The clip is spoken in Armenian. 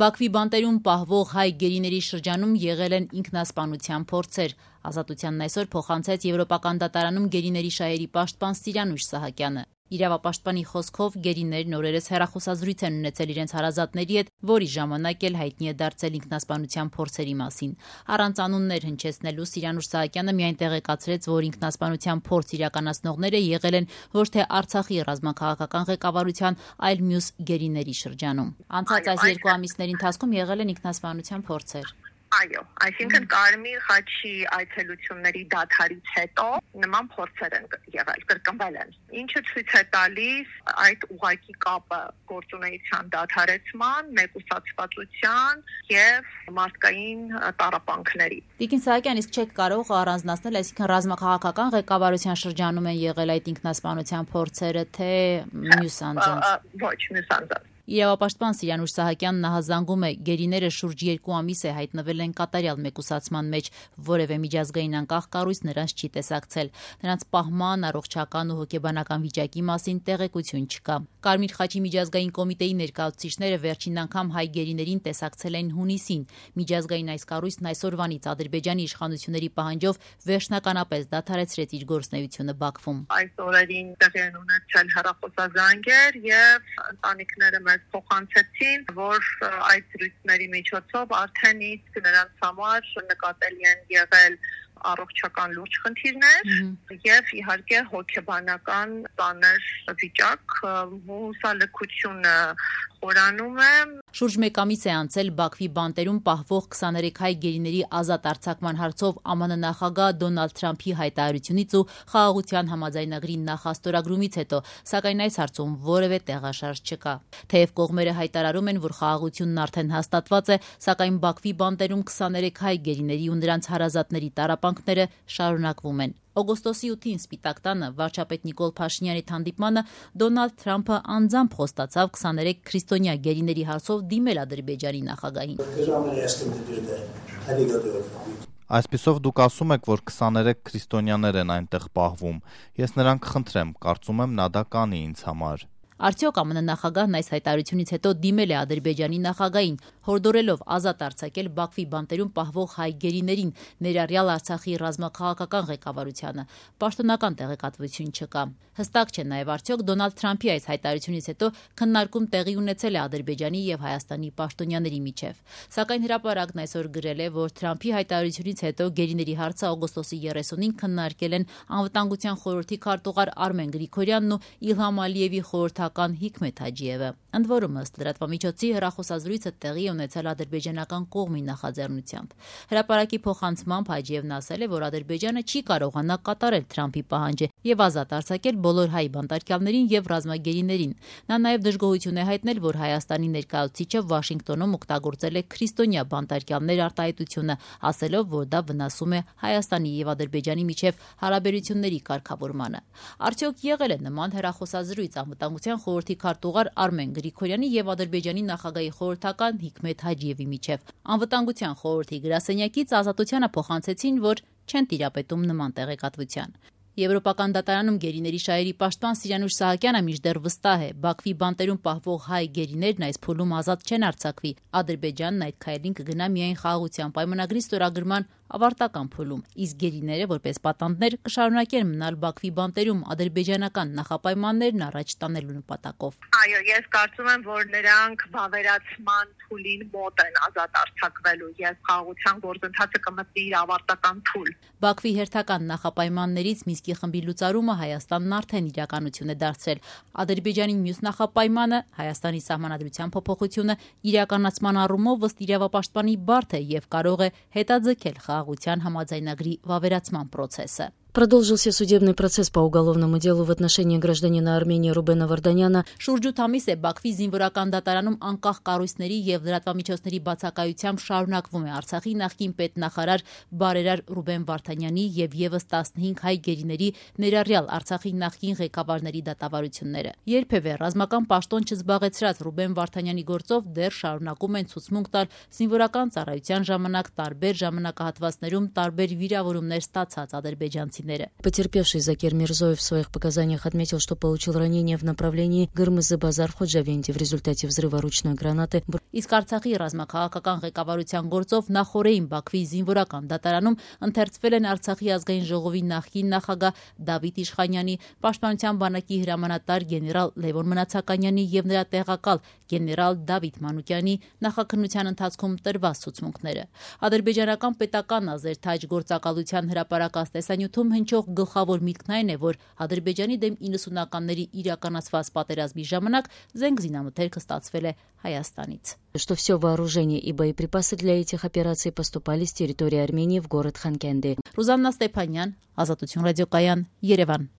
Բաքվի բանտերում պահվող հայ գերիների շրջանում եղել են ինքնասպանության փորձեր։ Ազատությանն այսօր փոխանցեց Եվրոպական դատարանում գերիների շահերի պաշտպան Սիրանուշ Սահակյանը։ Իրավապաշտպանի խոսքով գերիներն օրերս հեռախոսազրույց են ունեցել իրենց հարազատների հետ, որի ժամանակ էլ հայտնի է դարձել ինքնասպանության փորձերի մասին։ Առանց անուններ հնչեցնելու Սիրանուշ Սահակյանը միայն տեղեկացրեց, որ ինքնասպանության փորձ իրականացնողները եղել են ոչ թե Արցախի ռազմաքաղաքական ղեկավարության, այլ մյուս գերիների շրջանում։ Անցած այս 2 ամիսների ընթացքում եղել են ինքնասպանության փորձեր։ Այո, այսինքն Կարմիր խաչի այցելությունների դադարից հետո նման փորձեր են եղել, կրկնվել են։ Ինչը ցույց է տալիս այդ ուղղակի կապը գործունեության դադարեցման, մեկուսացվածության եւ մարդկային տառապանքների։ Տիկին Սահակյան, իսկ չեք կարող առանձնացնել, այսինքն ռազմաքաղաքական ղեկավարության շրջանում են եղել այդ ինքնասպանության փորձերը, թե մյուս անձանց։ Ոչ, մյուս անձանց։ Իրավապաշտպան Սիրանուշ Սահակյանն նահանգում է, գերիները շուրջ 2 ամիս է հայտնվել են կատարյալ մեկուսացման մեջ, որևէ միջազգային անկախ կառույց նրանց չի տեսակցել։ Նրանց պահման, առողջական ու հոգեբանական վիճակի մասին տեղեկություն չկա։ Կարմիր խաչի միջազգային կոմիտեի ներկայացուցիչները վերջին անգամ հայ գերիներին տեսակցել են հունիսին։ Միջազգային այս կառույցն այսօրվանից Ադրբեջանի իշխանությունների պահանջով վերջնականապես դադարեցրեց իր գործունեությունը Բաքվում։ Այս օրերին տեղի են ունեցել հեռախոսազանգեր եւ ընտանիքները փոխանցեցին, որ այդ զրույցների միջոցով արդեն իսկ նրանց համար նկատելի են եղել առողջական լուրջ խնդիրներ եւ իհարկե հոգեբանական ծանր վիճակ, հուսալքությունը խորանում է։ Շուրջ 1 ամիս է անցել Բաքվի բանտերում պահվող 23 հայ գերիների ազատ արձակման հարցով ԱՄՆ նախագահ Դոնալդ Թրամփի հայտարարությունից ու խաղաղության համաձայնագրի նախաստորագրումից հետո, սակայն այս հարցում որևէ տեղաշարժ չկա։ Թեև կողմերը հայտարարում են, որ խաղաղությունն արդեն հաստատված է, սակայն Բաքվի բանտերում 23 հայ գերիների ու նրանց հարազատների տառապանքները շարունակվում են։ Օգոստոսի 8-ին Սպիտակ տանը վարչապետ Նիկոլ Փաշինյանի հանդիպմանը Դոնալդ Թրամփը անձամբ խոստացավ 23 քրիստոնյա գերիների հարցով դիմել Ադրբեջանի նախագահին։ Այսպիսով դուք ասում եք, որ 23 քրիստոնյաներ են այնտեղ պահվում։ Ես նրան կխնդրեմ, կարծում եմ նա դա կանի ինձ համար։ Արդյոք ԱՄՆ նախագահն այս հայտարարությունից հետո դիմել է Ադրբեջանի նախագահին, հորդորելով ազատ արձակել Բաքվի բանտերում պահվող հայ գերիներին, ներառյալ Արցախի ռազմաքաղաքական ղեկավարությանը։ Պաշտոնական տեղեկատվություն չկա։ Հստակ չէ նաև արդյոք Դոնալդ Թրամփի այս հայտարարությունից հետո քննարկում տեղի ունեցել է Ադրբեջանի եւ Հայաստանի պաշտոնյաների միջև։ Սակայն հրապարակն այսօր գրել է, որ Թրամփի հայտարարությունից հետո գերիների հարցը օգոստոսի 30-ին քննարկել են Անվտանգության խորհրդի քարտուղար Արմեն Գրիգորյանն ու Իլհամ Ալիևի խորհրդական Հիկմեթ Հաջիևը։ Ընդ որում, ըստ լրատվամիջոցի, հեռախոսազրույցը տեղի ունեցել ադրբեջանական կողմի նախաձեռնությամբ։ Հրապարակի փոխանցմամբ Հաջիևն ասել է, որ Ադրբեջանը չի կարողանա կատարել Թրամփի պահանջը եւ ազատ արձակել բոլոր հայ բանտարկյալներին եւ ռազմագերիներին։ Նա նաեւ դժգոհություն է հայտնել, որ Հայաստանի ներկայացուցիչը Վաշինգտոնում օգտագործել է քրիստոնյա բանտարկյալներ արտահայտությունը, ասելով, որ դա վնասում է Հայաստանի եւ Ադրբեջանի միջև հարաբերությունների կարգավորմանը։ Արդյոք եղել է նման հեռախոսազրույց Անվտանգության խորհրդի քարտուղար Արմեն Գրիգորյանի եւ Ադրբեջանի նախագահի խորհրդական Հիկմեթ Հաջիևի միջև։ Անվտանգության խորհրդի գրասենյակից Ազատությանը փոխանցեցին, որ չեն տիրապետում նման տեղեկատվության։ Եվրոպական դատարանում գերիների շահերի պաշտպան Սիրանուշ Սահակյանը մինչդեռ վստահ է, Բաքվի բանտերում պահվող հայ գերիներն այս փուլում ազատ չեն արձակվի։ Ադրբեջանն այդ քայլին կգնա միայն խաղաղության պայմանագրի ստորագրման ավարտական փուլում, իսկ գերիները որպես պատանդներ կշարունակեն մնալ Բաքվի բանտերում ադրբեջանական նախապայմաններն առաջ տանելու նպատակով։ Այո, ես կարծում եմ, որ նրանք վավերացման փուլին մոտ են ազատ արձակվելու եւ խաղաղության գործընթացը կմտնի իր ավարտական փուլ։ Բաքվի հերթական նախապայմաններից Մինսկի խմբի լուծարումը Հայաստանն արդեն իրականություն է դարձրել։ Ադրբեջանի մյուս նախապայմանը Հայաստանի սահմանադրության փոփոխությունը իրականացման առումով ըստ իրավապաշտպանի բարդ է եւ կարող է հետաձգել խաղաղության համաձայնագրի վավերացման process-ը։ Продолжился судебный процесс по уголовному делу в отношении гражданина Армении Рубена Варданяна. Շուրջ 8 ամիս է Բաքվի զինվորական դատարանում անկախ կառույցների եւ լրատվամիջոցների բացակայությամբ շարունակվում է Արցախի նախկին պետնախարար բարերար Ռուբեն Վարդանյանի եւ եւս 15 հայ գերիների, ներառյալ Արցախի նախկին ղեկավարների դատավարությունները։ Երբևէ ռազմական պաշտոն չզբաղեցրած Ռուբեն Վարդանյանի գործով դեռ շարունակում են ցուցմունք տալ զինվորական ծառայության ժամանակ տարբեր ժամանակահատվածներում տարբեր վիրավորումներ ստացած ադրբեջանցի քաղաքացիները։ Потерпевший Закир Мирзоев в своих показаниях отметил, что получил ранение в направлении Гырмызы-Базар-Ходжавенти в результате взрыва ручной гранаты. Իսկ Արցախի ռազմաքաղաքական ղեկավարության գործով նախորդին Բաքվի զինվորական դատարանում ընթերցվել են Արցախի ազգային ժողովի նախկին նախագահ Դավիթ Իշխանյանի, Պաշտպանության բանակի հրամանատար գեներալ Լևոն Մնացականյանի եւ նրա տեղակալ գեներալ Դավիթ Մանուկյանի նախաքննության ընթացքում տրված ցուցմունքները։ Ադրբեջանական պետական ազերթաջ գործակալության հրապարակած տեսանյութում հնչող գլխավոր միտքն այն է, որ Ադրբեջանի դեմ 90-ականների իրականացված պատերազմի ժամանակ զենք զինամթերքը ստացվել է Հայաստանից։ Что все вооружение и боеприпасы для этих операций поступали с территории Армении в город Ханкенди. Ռուզաննա Ստեփանյան, Ազատություն ռադիոկայան, Երևան։